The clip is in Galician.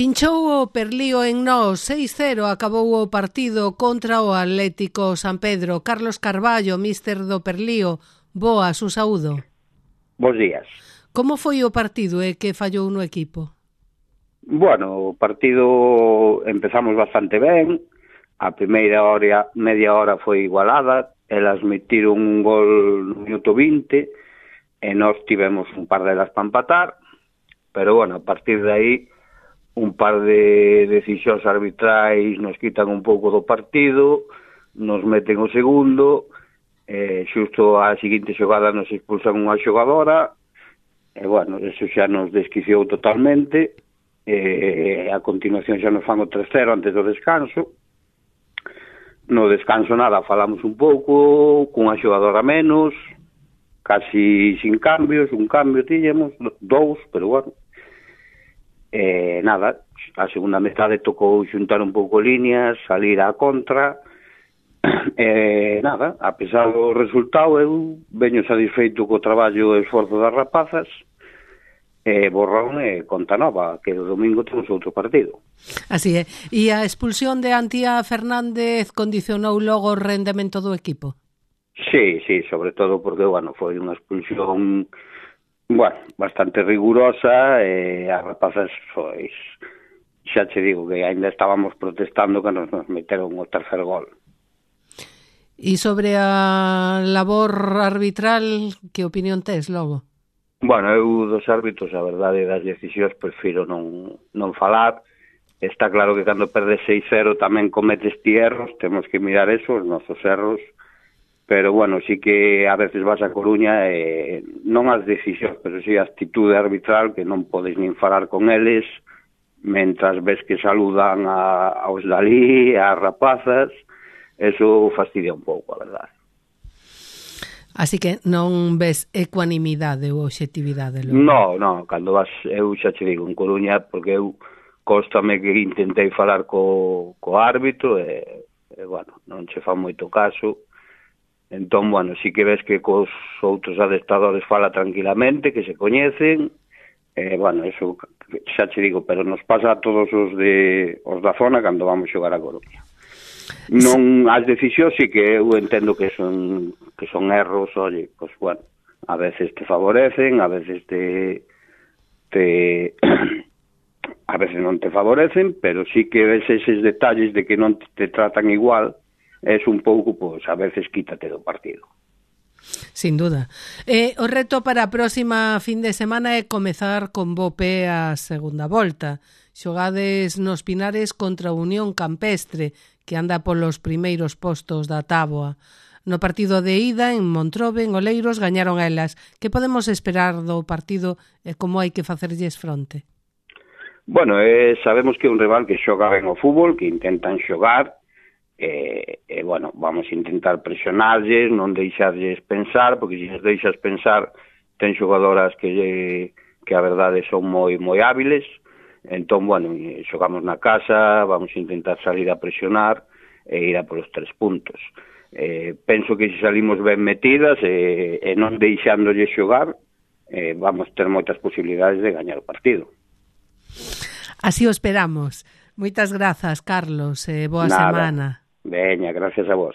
Pinchou o Perlío en Nós, 6-0 acabou o partido contra o Atlético San Pedro. Carlos Carballo, míster do Perlío, boas, un saúdo. Bos días. Como foi o partido e que fallou no equipo? Bueno, o partido empezamos bastante ben, a primeira hora, media hora foi igualada, elas metiron un gol no minuto 20 e nós tivemos un par delas para empatar, pero bueno, a partir de aí un par de decisións arbitrais nos quitan un pouco do partido, nos meten o segundo, xusto a seguinte xogada nos expulsan unha xogadora, e bueno, eso xa nos desquiciou totalmente, a continuación xa nos fan o 3-0 antes do descanso. No descanso nada, falamos un pouco, cunha xogadora menos, casi sin cambios, un cambio tiñamos, dous, pero bueno. Nada, a segunda metade tocou xuntar un pouco líneas, salir á contra, nada, a pesar do resultado eu veño satisfeito co traballo e esforzo das rapazas, borrón e conta nova, que o domingo temos outro partido. Así é, e a expulsión de Antía Fernández condicionou logo o rendemento do equipo? Sí, sobre todo porque, bueno, foi unha expulsión bastante rigurosa e as rapazas, pois, xa che digo que ainda estábamos protestando que nos meteron o tercer gol. E sobre a labor arbitral, que opinión tes logo? Bueno, eu dos árbitros, a verdade, das decisións prefiro non falar. Está claro que cando perdes 6-0 tamén cometes ti erros, temos que mirar eso, os nosos erros. Pero, bueno, sí que a veces vas a Coruña e non as decisións, pero sí a actitude arbitral que non podes nin falar con eles mentras ves que saludan aos dalí, ás rapazas, eso fastidia un pouco, a verdade. Así que non ves ecuanimidade ou objetividade? No, cando vas, eu xa che digo, en Coruña, porque eu cóstame que intentei falar co árbitro e, bueno, non che fan moito caso. Entón, bueno, sí que ves que cos outros adestradores fala tranquilamente, que se coñecen, bueno, eso xa che digo, pero nos pasa a todos os da zona cando vamos xogar a Coruña. Non, as decisións sí que eu entendo que son erros, oye, pues bueno, a veces te favorecen, a veces a veces non te favorecen, pero sí que ves eses detalles de que non te tratan igual, es un pouco, pois, a veces quítate do partido. Sin duda. O reto para a próxima fin de semana é comezar con bo pé a segunda volta. Xogades nos Pinares contra a Unión Campestre, que anda polos primeiros postos da táboa. No partido de ida, en Montrobe, en Oleiros, gañaron elas. Que podemos esperar do partido e como hai que facerlles fronte? Bueno, sabemos que é un rival que xoga ben o fútbol, que intentan xogar, bueno, vamos a intentar presionarlles, non deixarlles pensar, porque se les deixas pensar, ten xogadoras que a verdade son moi hábiles, entón, bueno, xogamos na casa, vamos a intentar salir a presionar e ir a polos 3 puntos. Penso que se salimos ben metidas e non deixándolles xogar, vamos ter moitas posibilidades de gañar o partido. Así o esperamos. Moitas grazas, Carlos, boa semana. Veña, gracias a vos.